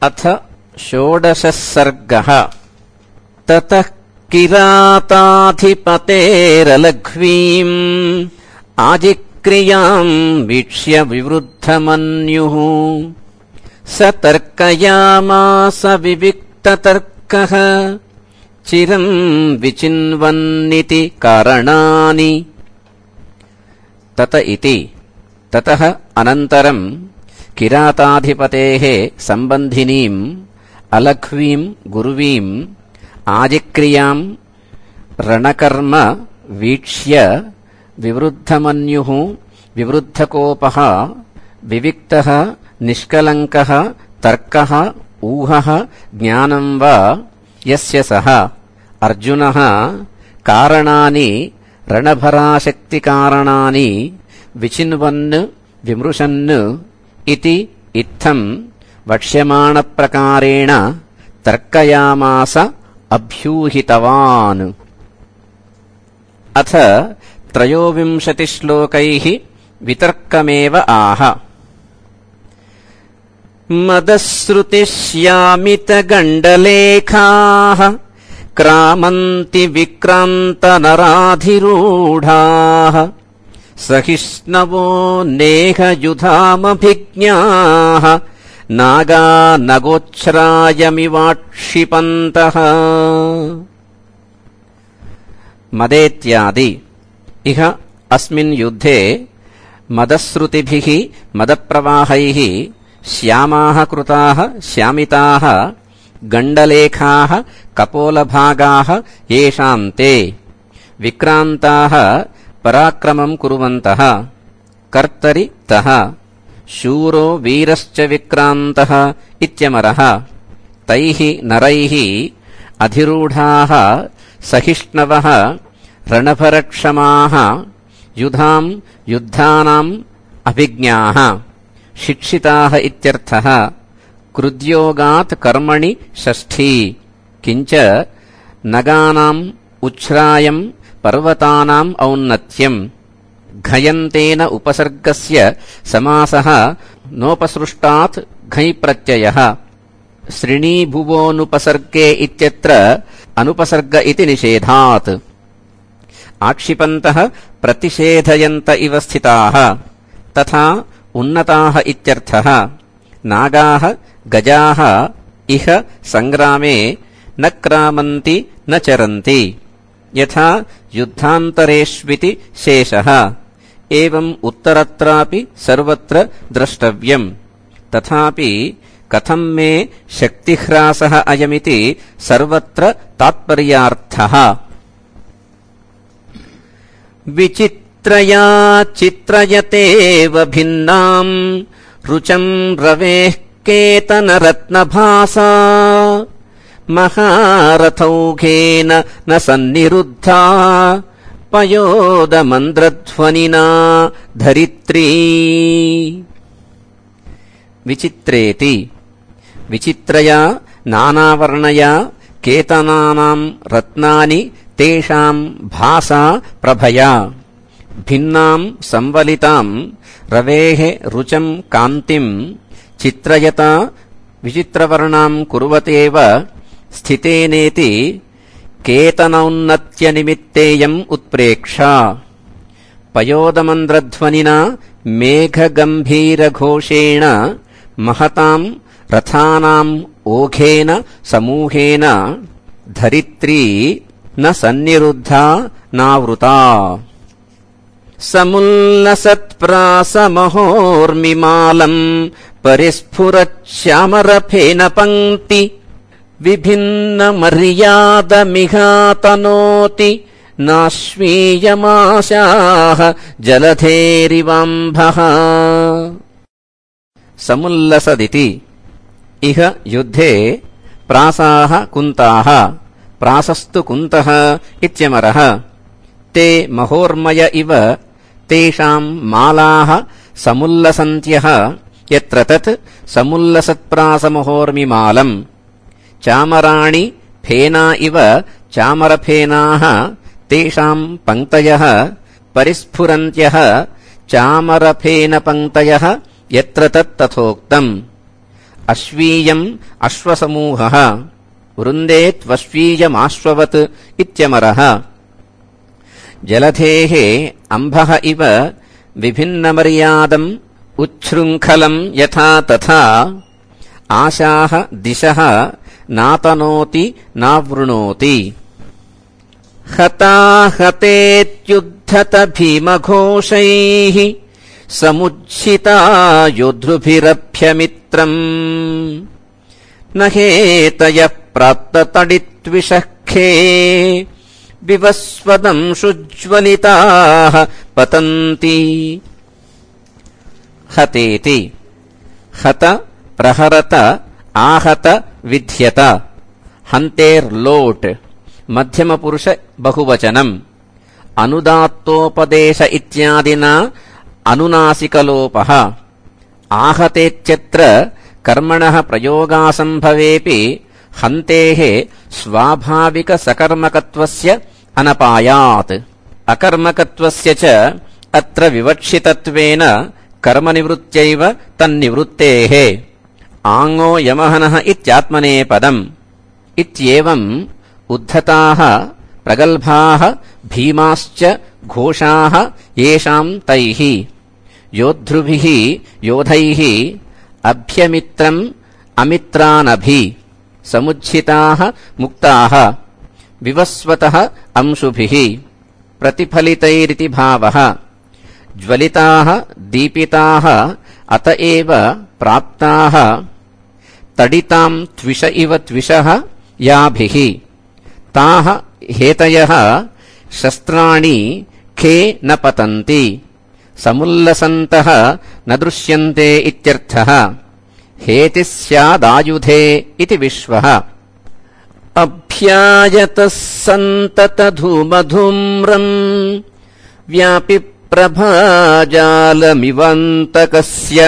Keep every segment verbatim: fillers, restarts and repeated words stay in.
अथ षोडशः सर्गः। ततः किराताधिपतेरलघ्वीम् आजिक्रियाम् वीक्ष्य विवृद्धमन्युः स तर्कयामास विविक्ततर्कः चिरम् विचिन्वन्निति कारणानि। तत इति ततः अनन्तरम् किराताधिपतेः सम्बन्धिनीम् अलघ्वीम् गुरुवीम् आजिक्रियाम् रणकर्म वीक्ष्य विवृद्धमन्युः विवृद्धकोपः विविक्तः निष्कलङ्कः तर्कः ऊहः ज्ञानम् वा यस्य सः अर्जुनः कारणानि रणभराशक्तिकारणानि विचिन्वन् विमृशन् इति इत्थम् वक्ष्यमाणप्रकारेण तर्कयामास अभ्यूहितवान्। अथ त्रयोविंशतिश्लोकैः वितर्कमेव आह। मदश्रुतिश्यामितगण्डलेखाः क्रामन्ति विक्रान्तनराधिरूढाः सहिष्णवो नेहयुधामभिज्ञाः नागा नगोच्छ्रायमिवाक्षिपन्तः। मदेत्यादि इह अस्मिन् युद्धे मदश्रुतिभिः मदप्रवाहैः श्यामाः कृताः श्यामिताः गण्डलेखाः कपोलभागाः येषाम् ते विक्रान्ताः पराक्रमम् कुर्वन्तः कर्तरि तः शूरो वीरश्च विक्रान्तः इत्यमरः तैः नरैः अधिरूढाः सहिष्णवः रणभरक्षमाः युधाम् युद्धानाम् अभिज्ञाः शिक्षिताः इत्यर्थः। कृद्योगात् कर्मणि षष्ठी। किञ्च नगानाम् उच्छ्रायम् पर्वतानाम् औन्नत्यम्। घयन्तेन उपसर्गस्य समासः नोपसृष्टात् घञ् प्रत्ययः। श्रीणीभुवोऽनुपसर्गे इत्यत्र अनुपसर्ग इति निषेधात्। आक्षिपन्तः प्रतिषेधयन्त इव स्थिताः तथा उन्नताः इत्यर्थः। नागाः गजाः इह सङ्ग्रामे न क्रामन्ति न चरन्ति यथा युद्धान्तरेष्विति शेषः। एवम् उत्तरत्रापि सर्वत्र द्रष्टव्यम्। तथापि कथम् मे शक्तिह्रासः अयमिति सर्वत्र तात्पर्यार्थः। विचित्रया चित्रयतेव भिन्नाम् रुचम् रवेः केतनरत्नभासा महारथौघेन न सन्निरुद्धा पयोदमन्द्रध्वनिना धरित्री। विचित्रेति विचित्रया नानावर्णया केतनानाम् रत्नानि तेषाम् भासा प्रभया भिन्नाम् संवलिताम् रवेः रुचम् कान्तिम् चित्रयता विचित्रवर्णाम् कुर्वतेव स्थितेनेति केतनौन्नत्यनिमित्तेयम् उत्प्रेक्षा। पयोदमन्द्रध्वनिना मेघगम्भीरघोषेण महताम् रथानाम् ओघेन समूहेन धरित्री न सन्निरुद्धा नावृता। समुल्लसत्प्रासमहोर्मिमालम् परिस्फुरच्छामरफेन पङ्क्ति विभिन्नमर्यादमिहातनोति नाश्वीयमाशाः जलधेरिवाम्भः। समुल्लसदिति इह युद्धे प्रासाः कुन्ताः प्रासस्तु कुन्तः इत्यमरः ते महोर्मय इव तेषाम् मालाः समुल्लसन्त्यः यत्र तत् समुल्लसत्प्रासमहोर्मिमालम्। चामराणि फेना इव चामरफेनाः तेषाम् पङ्क्तयः परिस्फुरन्त्यः चामरफेनपङ्क्तयः यत्र तत् तथोक्तम्। अश्वीयम् अश्वसमूहः वृन्देत्वश्वीयमाश्ववत् इत्यमरः। जलधेः अम्भः इव विभिन्नमर्यादम् उच्छृङ्खलम् यथा तथा आशाः दिशः नातनोति नावृणोति। हताहतेत्युद्धत भीमघोषैः समुज्झिता योद्धृभिरभ्यमित्रम् न हेतयः प्राप्ततडित्विषःखे विवस्वदंशुज्ज्वलिताः पतन्ति। हतेति हत प्रहरत आहत विध्यत हन्तेर्लोट् मध्यमपुरुष बहुवचनम् अनुदात्तोपदेश इत्यादिना अनुनासिकलोपः। आहतेत्यत्र कर्मणः प्रयोगासम्भवेऽपि हन्तेः स्वाभाविकसकर्मकत्वस्य अनपायात्। अकर्मकत्वस्य च अत्र विवक्षितत्वेन कर्मनिवृत्त्यैव तन्निवृत्तेः आङो यमहनः इत्यात्मनेपदम्। इत्येवम् उद्धताः प्रगल्भाः भीमाश्च घोषाः येषाम् तैः योद्धृभिः योधैः अभ्यमित्रम् अमित्रानभि समुज्झिताः मुक्ताः विवस्वतः अंशुभिः प्रतिफलितैरिति भावः। ज्वलिताः दीपिताः अत एव प्राप्ताः तडिताम् त्विष इव त्विषः याभिः ताः हेतयः शस्त्राणि खे न पतन्ति समुल्लसन्तः न दृश्यन्ते इत्यर्थः। हेतिः स्यादायुधे इति विश्वः। अभ्यायतः सन्ततधूमधूम्रम् व्यापि प्रभाजालमिवन्तकस्य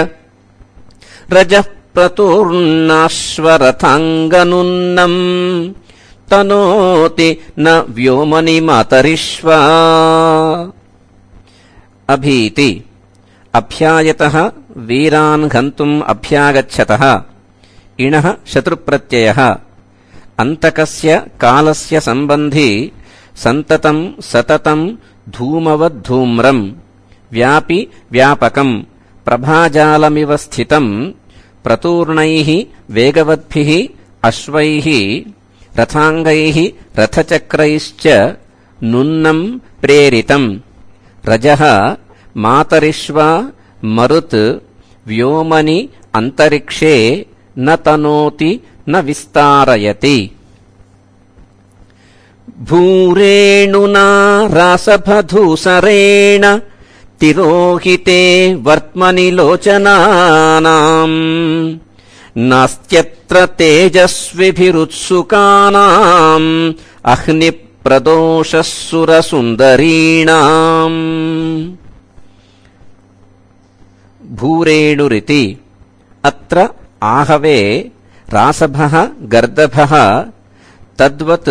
रजः प्रतूर्णाश्वरथाङ्गनुन्नम् तनोति न व्योमनि मातरिष्वा। अभीति अभ्यायतः वीरान् हन्तुम् अभ्यागच्छतः इणः शत्रुप्रत्ययः। अन्तकस्य कालस्य सम्बन्धी सन्ततम् सततम् धूमवद्धूम्रम् व्यापि व्यापकम् प्रभाजालमिव स्थितम् प्रतूर्णैः वेगवद्भिः अश्वैः रथाङ्गैः रथचक्रैश्च नुन्नम् प्रेरितम्। रजः मातरिष्वा मरुत् व्योमनि अन्तरिक्षे न तनोति न विस्तारयति। भूरेणुना रासभधूसरेण तिरोहिते वर्त्मनि लोचनानाम् नास्त्यत्र तेजस्विभिरुत्सुकानाम् अह्निप्रदोषः सुरसुन्दरीणाम्। भूरेणुरिति अत्र आहवे रासभः गर्दभः तद्वत्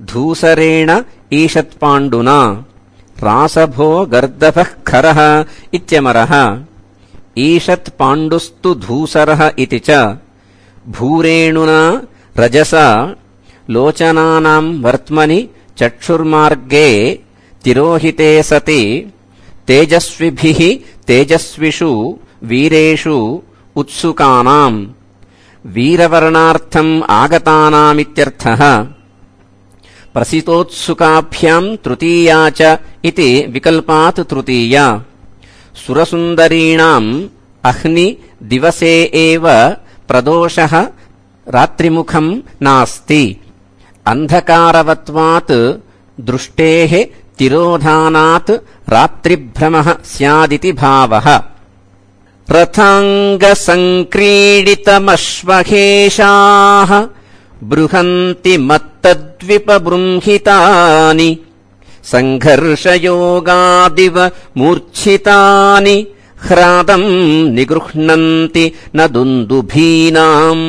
धूसरेण ईषत्पाण्डुना रासभो गर्दभः खरः इत्यमरः। ईषत्पाण्डुस्तु धूसरः इति च। भूरेणुना रजसा लोचनानाम् वर्त्मनि चक्षुर्मार्गे तिरोहिते सति तेजस्विभिः तेजस्विषु वीरेषु उत्सुकानाम् वीरवर्णार्थम् आगतानामित्यर्थः। प्रसितोत्सुकाभ्याम् तृतीया च इति विकल्पात् तृतीया। सुरसुन्दरीणाम् अह्नि दिवसे एव प्रदोषः रात्रिमुखम् नास्ति। अन्धकारवत्वात् दृष्टेः तिरोधानात् रात्रिभ्रमः स्यादिति भावः। रथाङ्गसङ्क्रीडितमश्वहेषाः बृहन्ति मत्तद्विपबृंहितानि सङ्घर्षयोगादिव मूर्च्छितानि ह्रादम् निगृह्णन्ति न दुन्दुभीनाम्।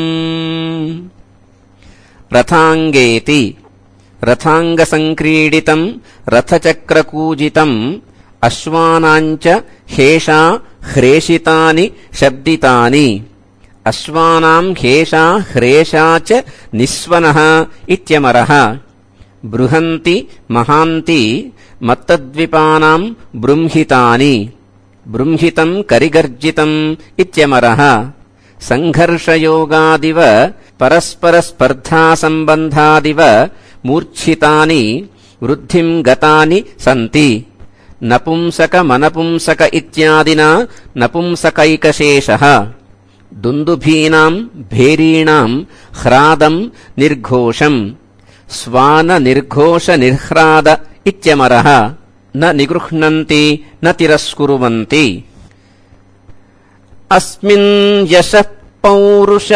रथाङ्गेति रथाङ्गसङ्क्रीडितम् रथचक्रकूजितम् अश्वानाम् च हेषा ह्रेषितानि शब्दितानि। अश्वानाम् हेषा ह्रेषा च निस्वनः इत्यमरः बृहन्ति महान्ति मत्तद्विपानाम् बृंहितानि बृंहितम् करिगर्जितम् इत्यमरः सङ्घर्षयोगादिव परस्परस्पर्धासम्बन्धादिव मूर्च्छितानि वृद्धिम् गतानि सन्ति नपुंसकमनपुंसक इत्यादिना नपुंसकैकशेषः दुन्दुभीनाम् भेरीणाम् ह्रादम् निर्घोषम् स्वाननिर्घोषनिर्ह्राद इत्यमरः न निगृह्णन्ति न तिरस्कुर्वन्ति अस्मिन् यशः पौरुषलोलुपानाम्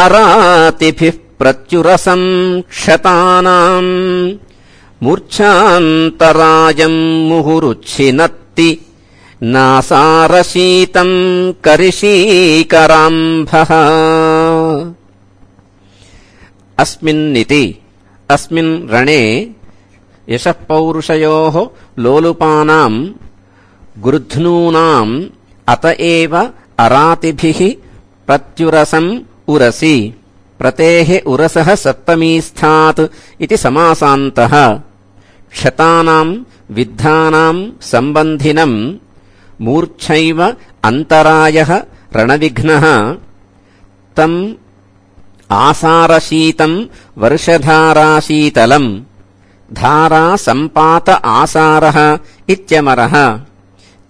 अरातिभिः प्रत्युरसम् क्षतानाम् मूर्च्छान्तरायम् मुहुरुच्छिनत्ति नासारशीतम् करिशीकराम्भः अस्मिन्निति अस्मिन् रणे यशः पौरुषयोः लोलुपानाम् गृध्नूनाम् अत एव अरातिभिः प्रत्युरसम् उरसि प्रतेः उरसः सप्तमीस्थात् इति समासान्तः क्षतानाम् विद्धानाम् सम्बन्धिनम् मूर्च्छैव अन्तरायः रणविघ्नः तम् आसारशीतम् वर्षधाराशीतलम् धारा सम्पात आसारः इत्यमरः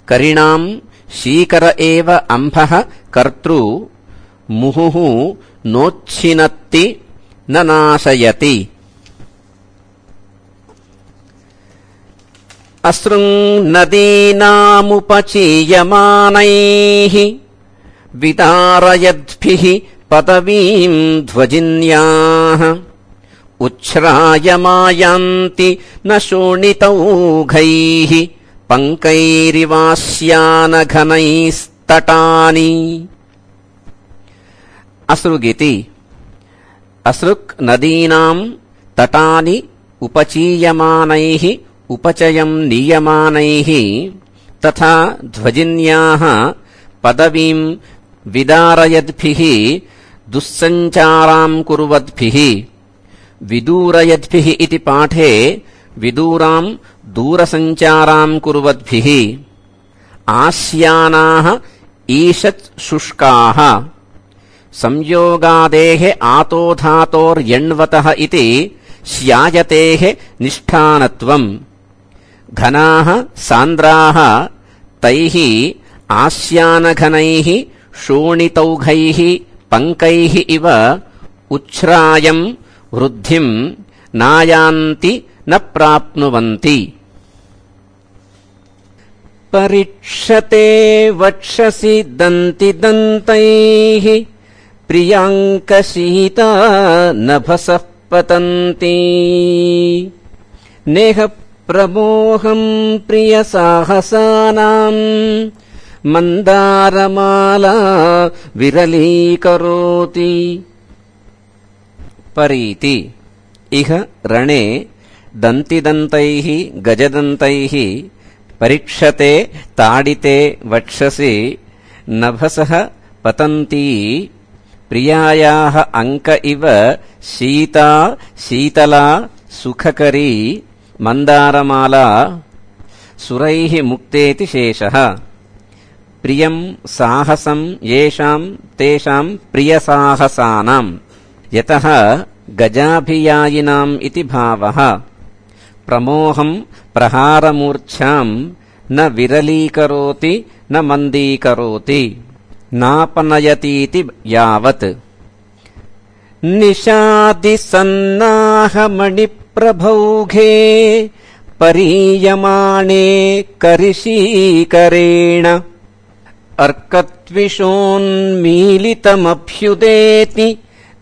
करिणाम् शीकर एव अम्भः कर्तृ मुहुः नोच्छिनत्ति न नाशयति अश्रुनदीनामुपचीयमानैः विदारयद्भिः पदवीम् ध्वजिन्याः उच्छ्रायमायान्ति न शोणितौघैः पङ्कैरिवास्यानघनैस्तटानि असृगिति असृक् नदीनाम् तटानि उपचीयमानैः उपचयम् नीयमानैः तथा ध्वजिन्याः पदवीम् विदारयद्भिः दुःसञ्चाराम् कुर्वद्भिः विदूरयद्भिः इति पाठे विदूराम् दूरसञ्चाराम् कुर्वद्भिः आस्यानाः ईषत् शुष्काः संयोगादेः आतोधातोर्यण्वतः इति स्यायतेः निष्ठानत्वम् घनाः सान्द्राः तैः आस्यानघनैः शोणितौघैः पङ्कैः इव उच्छ्रायम् वृद्धिम् नायान्ति न प्राप्नुवन्ति परिक्षते वक्षसि दन्तिदन्तैः प्रियाङ्कशीता नभसः पतन्ति नेह प्रमोहम् प्रियसाहसानाम् मन्दारमाला विरलीकरोति परीति इह रणे दन्तिदन्तैः गजदन्तैः परीक्षते ताडिते वक्षसि नभसः पतन्ती प्रियायाः अंक इव शीता शीतला सुखकरी मन्दारमाला सुरैः मुक्तेति शेषः प्रियम् साहसम् येषाम् तेषाम् प्रियसाहसानाम् यतः गजाभियायिनाम् इति भावः प्रमोहम् प्रहारमूर्च्छाम् न विरलीकरोति न मन्दीकरोति नापनयतीति यावत् निशादिसन्नाहमणिप्रभौघे परीयमाणे करिशीकरेण अर्कत्विषोन्मीलितमभ्युदेति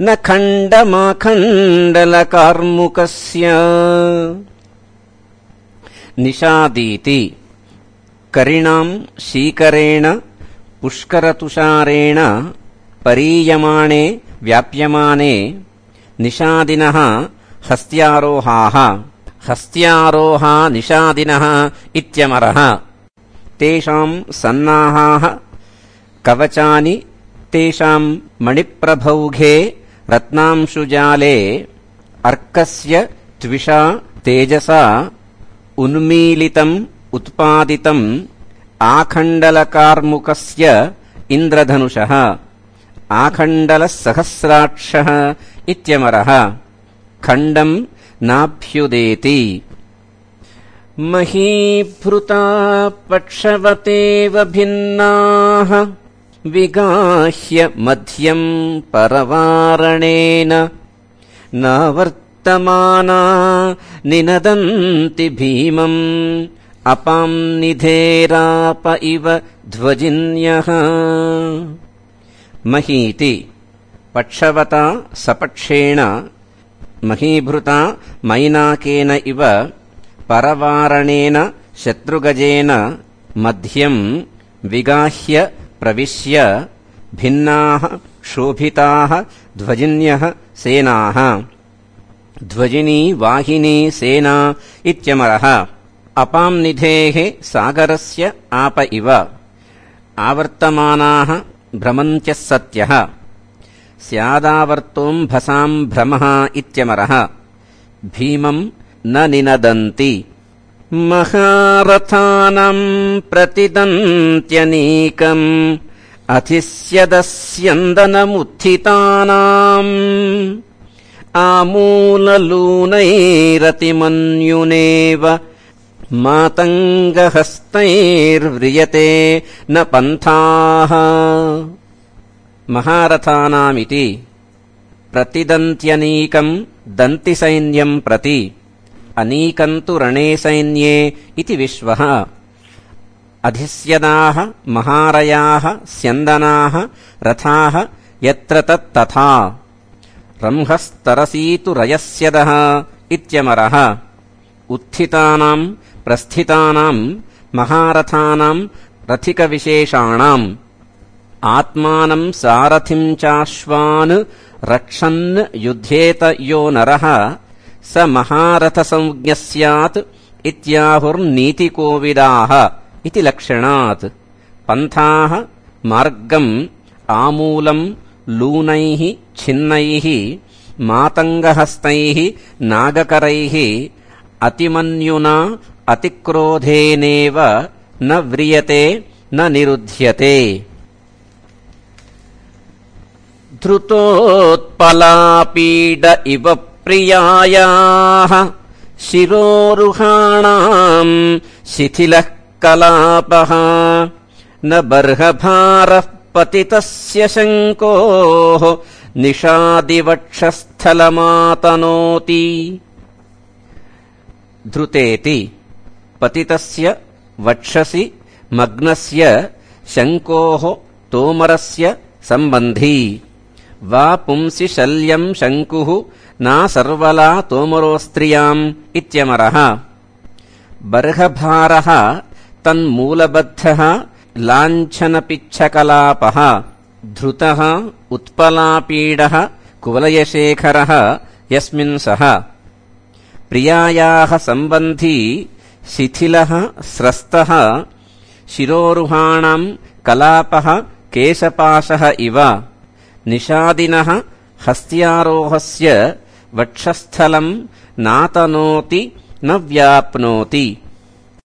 न खण्डमाखण्डलकार्मुकस्य निशादीति करिणाम् शीकरेण पुष्करतुषारेण परीयमाणे व्याप्यमाने निशादिनः हस्त्यारोहाः हस्त्यारोहा निशादिनः इत्यमरः तेषाम् सन्नाहाः कवचानि तेषाम् मणिप्रभौघे रत्नांशुजाले अर्कस्य त्विषा तेजसा उन्मीलितम् उत्पादितम् आखण्डलकार्मुकस्य इन्द्रधनुषः आखण्डलः सहस्राक्षः इत्यमरः खण्डम् नाभ्युदेति। महीभृता पक्षवतेव भिन्नाः विगाह्य मध्यम् परवारणेन नावर्तमाना निनदन्ति भीमम् अपां निधेराप इव ध्वजिन्यः। महीति पक्षवता सपक्षेण महीभृता मैनाकेन इव परवारणेन शत्रुगजेन मध्यम् विगाह्य प्रविश्य भिन्नाः शोभिताः ध्वजिन्यः सेनाः। ध्वजिनी वाहिनी सेना इत्यमरः अपां निधेः सागरस्य आप इव आवर्तमानाः भ्रमन्त्यः सत्यः स्यादावर्तोऽम्भसाम् भ्रमः इत्यमरः भीमम् न निनदन्ति। महारथानाम् प्रतिदन्त्यनीकम् अधिस्यदस्यन्दनमुत्थितानाम् आमूललूनैरतिमन्युनेव मातङ्गहस्तैर्व्रियते न पन्थाः। महारथानामिति प्रतिदन्त्यनीकम् दन्तिसैन्यम् प्रति अनीकम् तु रणे सैन्ये इति विश्वः। अधिस्यदाः महारयाः स्यन्दनाः रथाः यत्र तत्तथा रंहस्तरसीतु रयस्यदः इत्यमरः उत्थितानाम् प्रस्थितानाम् महारथानाम् रथिकविशेषाणाम् आत्मानम् सारथिम् चाश्वान् रक्षन् युध्येत यो नरः स महारथसंज्ञः स्यात् इत्याहुर्नीतिकोविदाः इति लक्षणात्। पन्थाः मार्गम् आमूलम् लूनैः छिन्नैः मातङ्गहस्तैः नागकरैः अतिमन्युना अतिक्रोधेनेव न व्रियते न निरुध्यते। धृतोत्पलापीड इव प्रियायाः शिरोरुहाणाम् शिथिलः कलापः न बर्हभारः पतितस्य शङ्कोः निषादिवक्षस्थलमातनोति। धृतेति पतितस्य वक्षसि मग्नस्य शङ्कोः तोमरस्य सम्बन्धी वा पुंसि शल्यम् शङ्कुः ना सर्वला तोमरोस्त्रियाम् इत्यमरः। बर्हभारः तन्मूलबद्धः लाञ्छनपिच्छकलापः धृतः उत्पलापीडः कुवलयशेखरः यस्मिन् सः प्रियायाः सम्बन्धी शिथिलः स्रस्तः शिरोरुहाणाम् कलापः केशपाशः इव निषादिनः हस्त्यारोहस्य वक्षस्थलम् नातनोति न व्याप्नोति।